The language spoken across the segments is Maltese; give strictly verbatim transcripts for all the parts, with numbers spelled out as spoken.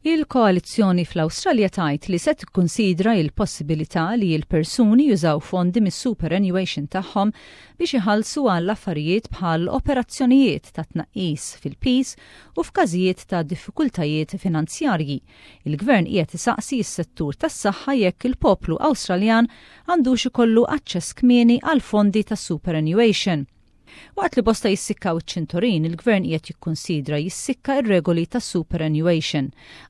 Il-koalizzjoni fl-Awstralja tgħid li se tikkunsidra il-possibilità li l-persuni jużaw fondi mis-superannuation tagħhom biex iħallsu għall affarijiet bħal operazzjonijiet ta' tnaqqis fil-piż u f'każijiet ta' diffikultajiet finanzjarji. Il-gvern qiegħed isaqsi s-settur tas-saħħa jekk il-poplu Awstraljan għandux ikollu aċċess kmieni għal fondi tas superannuation. Waqt li bosta jissikkaw iċ-ċintorin, il-gvern qiegħed jikkonsidra jissikka ir-regoli tas superannuation.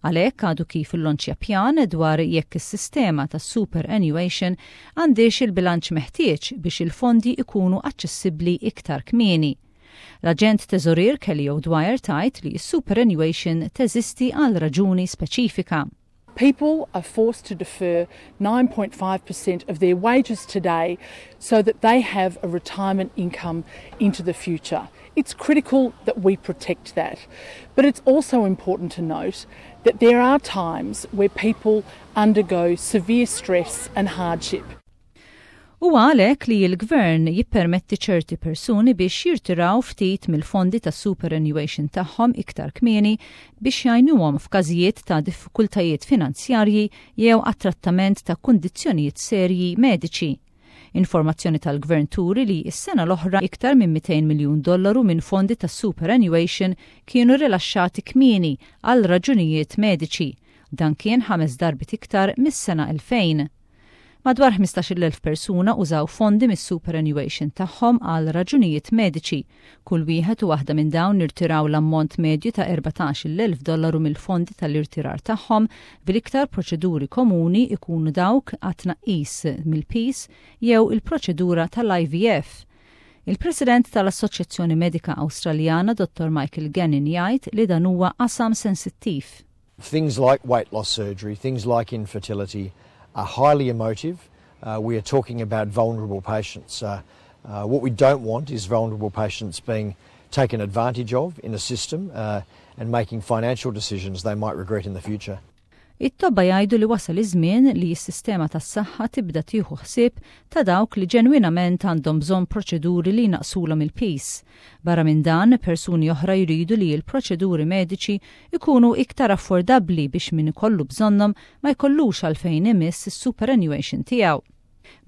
Għalhekk għadu kif illonċja pjan dwar jekk is-sistema tas superannuation għandix il-bilanċ meħtieġ biex il-fondi ikunu aċċessibbli iktar kmieni. L-aġent teżorier Kelly O'Dwyer tgħid li s-superannuation teżisti għal raġuni speċifika. People are forced to defer nine point five percent of their wages today so that they have a retirement income into the future. It's critical that we protect that. But it's also important to note that there are times where people undergo severe stress and hardship. U għalhekk li l-gvern jippermetti ċerti persuni biex jirtiraw ftit mill-fondi ta' superannuation tagħhom iktar kmieni biex jgħinuhom f'każijiet ta' diffikultajiet finanzjarji jew għat-trattament ta' kundizzjonijiet serji mediċi. Informazzjoni tal-gvern turi li s-sena l-oħra iktar minn mitejn miljun dollaru minn fondi ta' superannuation kienu rilaxxati kmieni għal raġunijiet mediċi. Dan kien ħames darbit iktar mis-sena elfejn. Madwar ħmistax-il elf persuna użaw fondi mis-superannuation tagħhom għal raġunijiet mediċi. Kull wieħed u waħda minn dawn irtiraw l-ammont medju ta' erbatax-il elf dollaru mill-fondi tal-irtirar tagħhom, bil-iktar proċeduri komuni ikunu dawk għat-tnaqqis mill-piż jew il-proċedura tal-I V F. Il-President tal-Assoċjazzjoni Medika Awstraljana, Dottor Michael Gannon, jgħid li dan huwa qasam sensittiv. Things like weight loss surgery, things like infertility are highly emotive. Uh, we are talking about vulnerable patients. Uh, uh, what we don't want is vulnerable patients being taken advantage of in a system uh, and making financial decisions they might regret in the future. It-tobba jgħidu li wasal iż-żmien li s-sistema tas-saħħa tibda tieħu ħsieb ta' dawk li ġenwinament għandhom bżonn proċeduri li jnaqsulhom il-piż. Barra minn dan, persuni oħra jridu li l-proċeduri mediċi ikunu iktar affordabbli biex min ikollu bżonnhom ma jkollux għalfejn imiss is-superannuation tiegħu.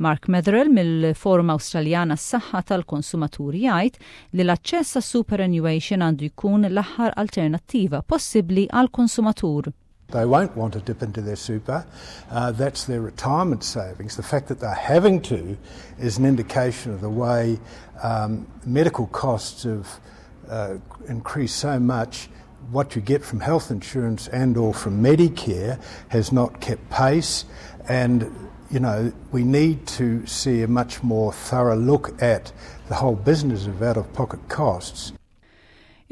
Mark Metherell mill-Forum Awstraljana s-Saħħa tal-Konsumaturi jgħid li l-aċċess għas superannuation għandu jkun l-aħħar alternattiva possibbli għal konsumatur. They won't want to dip into their super. Uh, that's their retirement savings. The fact that they're having to is an indication of the way um, medical costs have uh, increased so much. What you get from health insurance and or from Medicare has not kept pace, and you know we need to see a much more thorough look at the whole business of out-of-pocket costs.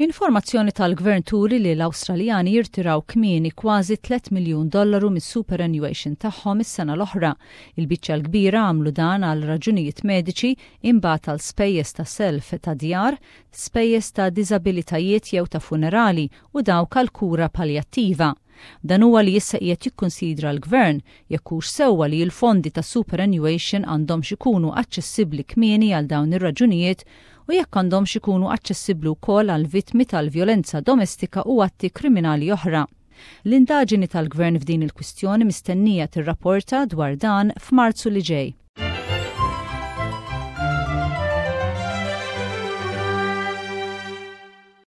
Informazzjoni tal-gvern turi li l-Awstraljani jirtiraw kmieni kważi tliet miljun dollaru mis-superannuation tagħhom is-sena l-oħra. Il-biċċa l-kbira għamlu dan għal raġunijiet mediċi, imbagħad għal spejjeż ta' self ta' djar, spejjeż ta' diżabilitajiet jew ta' funerali u dawk għal kura paljattiva. Dan huwa li issa qiegħed jikkunsidra l-gvern, jekk hux sewwa li l-fondi ta' superannuation għandhom ikunu aċċessibbli kmieni għal dawn ir-raġunijiet u jekk għandhomx ikunu aċċessibbli wkoll għal vittmi tal-vjolenza domestika u atti kriminali oħra. L-indaġini tal-gvern f'din il-kwistjoni mistennija tirrapporta dwar dan f'Marzu li ġej.